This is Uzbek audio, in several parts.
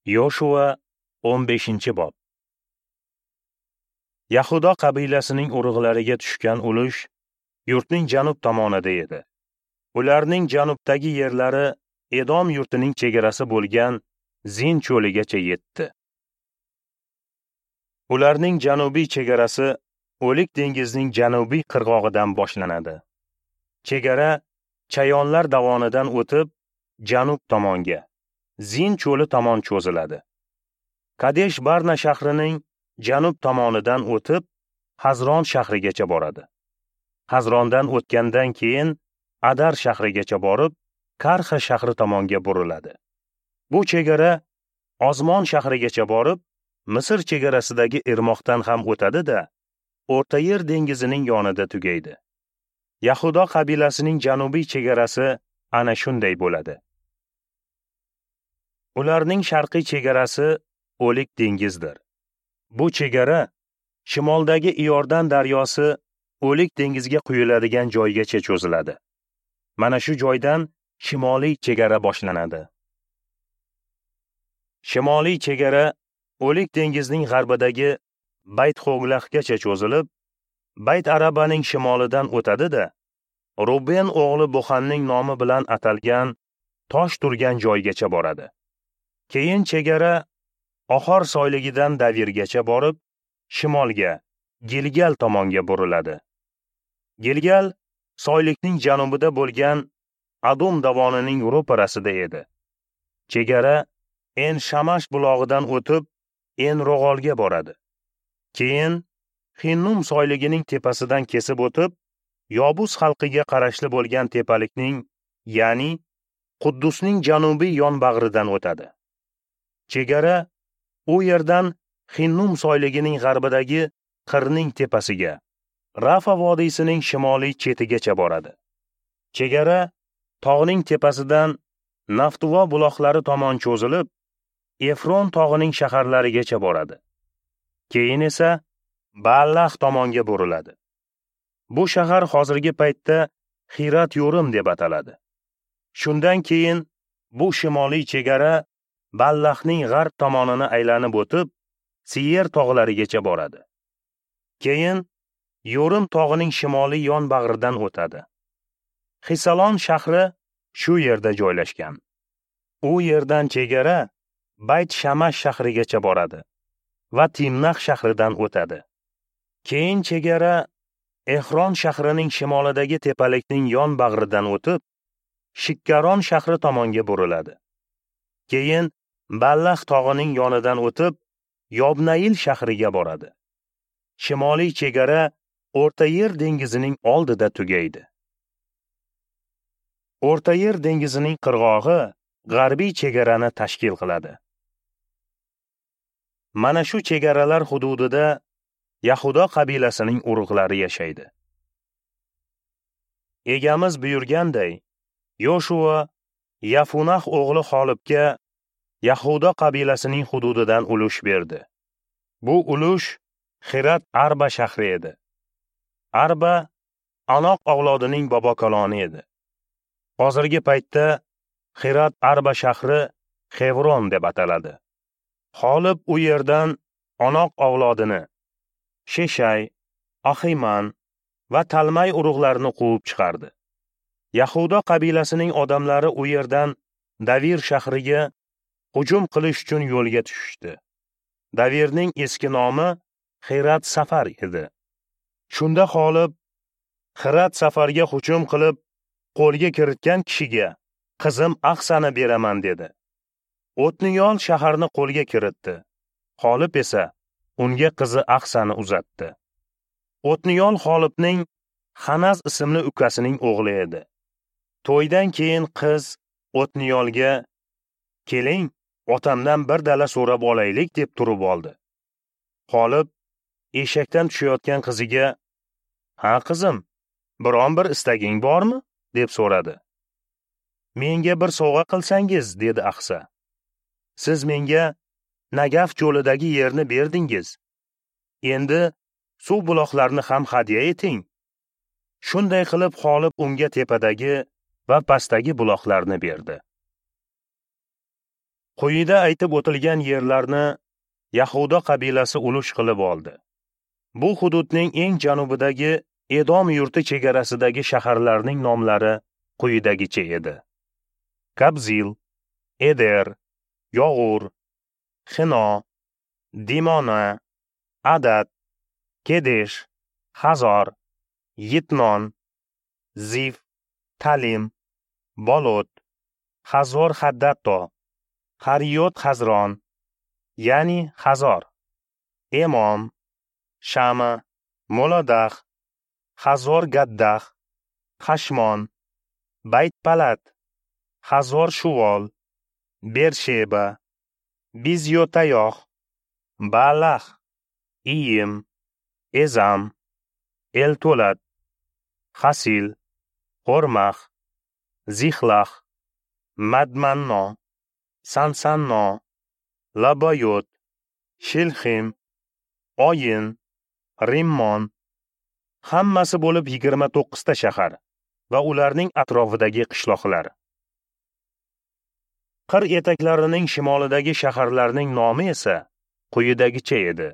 Yoshua 15-bob. Yahudo qabilasining urug'lariga tushgan ulush yurtning janub tomonida edi. Ularning janubdagi yerlari Edom yurtining chegarasi bo'lgan Zin cho'ligacha yetdi. Ularning janubiy chegarasi O'lik dengizning janubiy qirg'og'idan boshlanadi. Chegara Chayonlar davonidan o'tib, janub tomonga, Zin cho'li tomon cho'ziladi. Kadesh Barna shahrining janub tomonidan o'tib, Hazron shahrigacha boradi. Hazrondan o'tgandan keyin Adar shahrigacha borib, Karxa shahri tomonga buriladi. Bu chegara Ozmon shahrigacha borib, Misr chegarasidagi irmoqdan ham o'tadi-da, O'rta Yer dengizining yonida tugaydi. Yahudo qabilasining janubiy chegarasi ana shunday bo'ladi. Ularning sharqiy chegarasi O'lik dengizdir. Bu chegara shimoldagi Iordan daryosi O'lik dengizga quyiladigan joygacha cho'ziladi. Mana shu joydan shimoliy chegara boshlanadi. Shimoliy chegara O'lik dengizning g'arbidagi Bayt-Xoglahgacha cho'zilib, Bayt Arabaning shimolidan o'tadi-da, Ruben o'g'li Buxanning nomi bilan atalgan tosh turgan joygacha boradi. Keyin chegara Ohor soyligidan Davirgacha borib, shimolga, Gilgal tomonga buriladi. Gilgal soylikning janubida bo'lgan Adum davonining ro'parasida edi. Chegara En Shamash bulog'idan o'tib, En Rog'olga boradi. Keyin Hinnum soyligining tepasidan kesib o'tib, Yobus xalqiga qarashli bo'lgan tepalikning, ya'ni Quddusning janubiy yonbag'ridan o'tadi. Chegara u yerdan Hinnum soyligining g'arbidagi Qirning tepasiga, Rafa vodiysining shimoliy chetigacha boradi. Chegara tog'ning tepasidan Naftuvo buloqlari tomon cho'zilib, Efron tog'ining shaharlarigacha boradi. Keyin esa Baalah tomonga buriladi. Bu shahar hozirgi paytda Xirat Yo'rim deb ataladi. Shundan keyin bu shimoliy chegara Ballahning g'arb tomonini aylanib o'tib, Siyer tog'larigacha boradi. Keyin Yo'rim tog'ining shimoliy yonbag'ridan o'tadi. Xisalon shahri shu yerda joylashgan. U yerdan chegara Bayt Shamash shahrigacha boradi va Timnax shahridan o'tadi. Keyin chegara Ehron shahrining shimolidagi tepalikning yonbag'ridan o'tib, Shikkaron shahri tomonga buriladi. Keyin Ballah tog'ining yonidan o'tib, Yobnail shahriga boradi. Shimoliy chegara O'rta Yer dengizining oldida tugaydi. O'rta Yer dengizining qirg'og'i g'arbiy chegarani tashkil qiladi. Mana shu chegaralar hududida Yahudo qabilasining urug'lari yashaydi. Egamiz buyurganday, Yoshua Yafunah o'g'li Xolibga Yahudo qabilasining hududidan ulush berdi. Bu ulush Xirat Arba shahri edi. Arba Anoq avlodining bobokaloni edi. Hozirgi paytda Xirat Arba shahri Xevron deb ataladi. Xolib u yerdan Anoq avlodini, Sheshay, Ahiman va Talmay urug'larini quvib chiqardi. Yahudo qabilasining odamlari u yerdan Davir shahriga hujum qilish uchun yo'lga tushishdi. Davirning eski nomi Xirat Safar edi. Shunda Xolib Xirat Safarga hujum qilib, qo'lga kiritgan kishiga qizim Ahsani beraman dedi. O'tniyol shaharni qo'lga kiritdi. Xolib esa unga qizi Ahsani uzatdi. O'tniyol Xolibning Xanaz ismli ukasining o'g'li edi. To'ydan keyin qiz O'tniyolga "Keling, otamdan bir dala so'rab olaylik" deb turib oldi. Xolib eshakdan tushayotgan qiziga "Ha qizim, biron bir istaging bormi?" deb so'radi. "Menga bir sovg'a qilsangiz" dedi Ahsa. "Siz menga Nagaf cho'lidagi yerni berdingiz. Endi suv buloqlarini ham hadya eting." Shunday qilib Xolib unga tepadagi va pastdagi buloqlarni berdi. Quyida aytib o'tilgan yerlarni Yahuda qabilasi ulush qilib oldi. Bu hududning eng janubidagi Edom yurti chegarasidagi shaharlarning nomlari quyidagicha edi: Kabzil, Eder, Yog'ur, Xino, Dimona, Adad, Kedesh, Hazor, Yitnon, Zif, Talim, Bolot, Hazor Haddatto, Hariyot Hazron, ya'ni Hazor, Emom, Shama, Molodah, Hazor Gaddah, Hashmon, Bayt-Palat, Hazor Shuvol, Bersheba, Bizyotayoh, Baalah, Iyim, Ezam, Eltolat, Hasil, Xormah, Zixlah, Madmanno, Sansanno, Laboyot, Shilxim, Oyin, Rimmon. Hammasi bo'lib 29 ta shahar va ularning atrofidagi qishloqlar. Qir etaklarining shimolidagi shaharlarning nomi esa quyidagicha edi: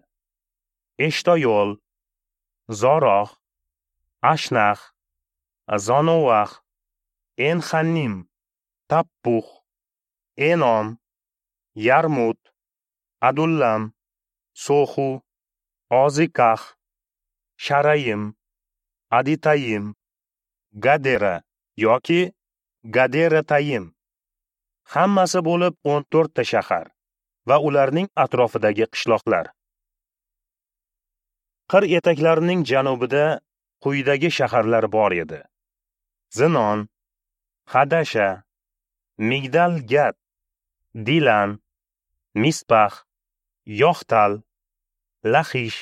Eshtoyol, Zoroh, Ashnah, Zonoah, Enxannim, Tappux, Enom, Yarmut, Adullam, Soxu, Ozikah, Sharayim, Aditayim, Gadera yoki Gaderatayim. Hammasi bo'lib 14 ta shahar va ularning atrofidagi qishloqlar. Qir etaklarining janubida quyidagi shaharlar bor edi: Zinon, Hadasha, Migdal Gad, Dilan, Mispax, Yoxtal, Laxish,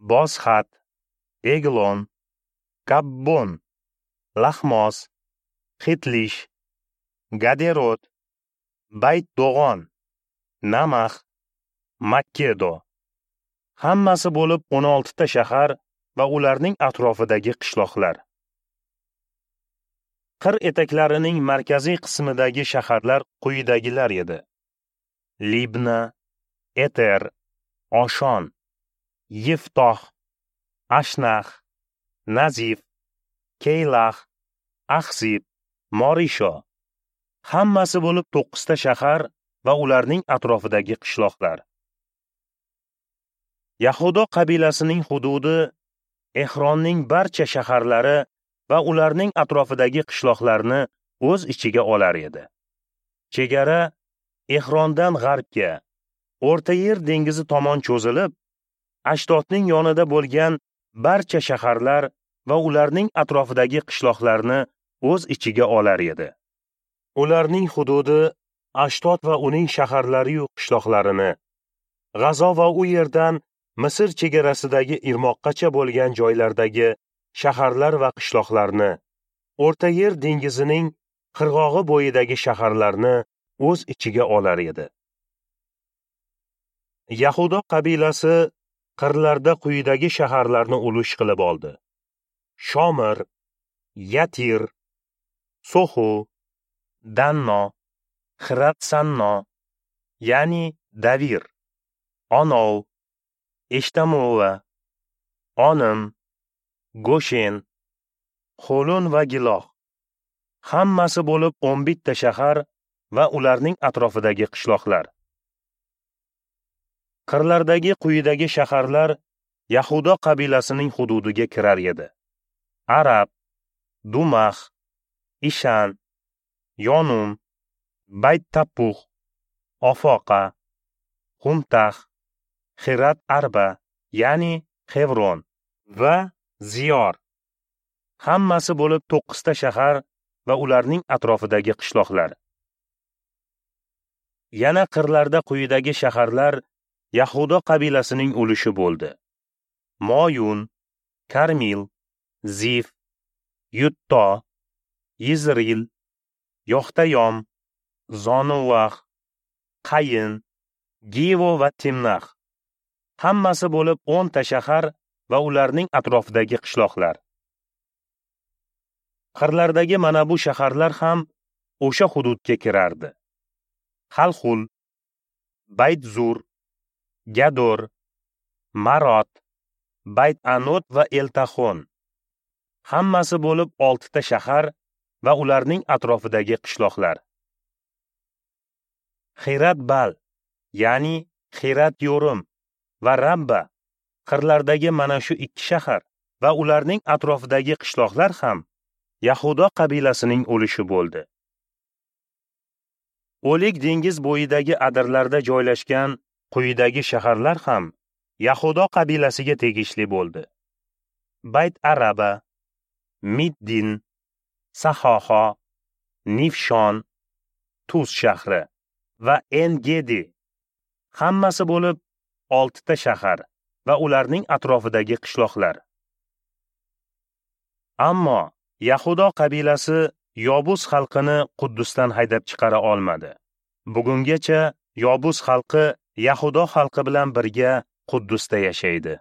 Bozxat, Eglon, Kabbon, Laxmos, Xitlish, Gaderot, Bayt-Do'g'on, Namax, Makkedo. Hammasi bo'lib 16 ta shahar va ularning atrofidagi qishloqlar. Qir etaklarining markaziy qismidagi shaharlar quyidagilar edi: Libna, Eter, Oshon, Yiftoh, Ashnah, Nazif, Keylah, Axzib, Morisho. Hammasi bo'lib 9 ta shahar va ularning atrofidagi qishloqlar. Yahudo qabilasining hududi Ehronning barcha shaharlari va ularning atrofidagi qishloqlarni o'z ichiga olar edi. Chegara Ehrondan g'arbga, O'rta Yer dengizi tomon cho'zilib, Ashdodning yonida bo'lgan barcha shaharlar va ularning atrofidagi qishloqlarni o'z ichiga olar edi. Ularning hududi Ashdod va uning shaharlari-yu qishloqlarini, G'azo va u yerdan Misr chegarasidagi irmoqqacha bo'lgan joylardagi shaharlar va qishloqlarni, O'rta Yer dengizining qirg'og'i bo'yidagi shaharlarni o'z ichiga olar edi. Yahudo qabilasi qirlarda quyidagi shaharlarni ulush qilib oldi: Shomir, Yatir, Soxu, Danno, Xirat-Sanno, ya'ni Davir, Onov, Eshtamova, Onim, Goshen, Xolon va Giloh. Hammasi bo'lib 11 ta shahar va ularning atrofidagi qishloqlar. Qirlardagi quyidagi shaharlar Yahudo qabilasining hududiga kirar edi: Arab, Dumax, Ishan, Yonum, Bayt-Tappux, Ofoqa, Xumtax, Xirat Arba, ya'ni Xevron va Ziyor. Hammasi bo'lib 9 ta shahar va ularning atrofidagi qishloqlar. Yana qirlarda quyidagi shaharlar Yahudo qabilasining ulushi bo'ldi: Moyun, Karmil, Zif, Yutto, Yizril, Yoxtayom, Zonuvax, Qayin, Givo va Timnax. Hammasi bo'lib 10 ta shahar va ularning atrofidagi qishloqlar. Qirlardagi mana bu shaharlar ham o'sha hududga kirardi: Xalxul, Bayt-Zur, Gador, Marot, Bayt-Anot va Eltaxon. Hammasi bo'lib 6 ta shahar va ularning atrofidagi qishloqlar. Xirat-Bal, ya'ni Xirat-Yorim va Rabba qirlardagi mana shu 2 shahar va ularning atrofidagi qishloqlar ham Yahudo qabilasining ulushi bo'ldi. O'lik dengiz bo'yidagi adirlarda joylashgan quyidagi shaharlar ham Yahudo qabilasiga tegishli bo'ldi: Bayt-Araba, Middin, Sahoho, Nifshon, Tuz shahri va En-Gedi. Hammasi bo'lib 6 ta shahar va ularning atrofidagi qishloqlar. Ammo Yahudo qabilasi Yobus xalqini Quddusdan haydab chiqara olmadi. Bugungacha Yobus xalqi Yahudo xalqi bilan birga Quddusda yashaydi.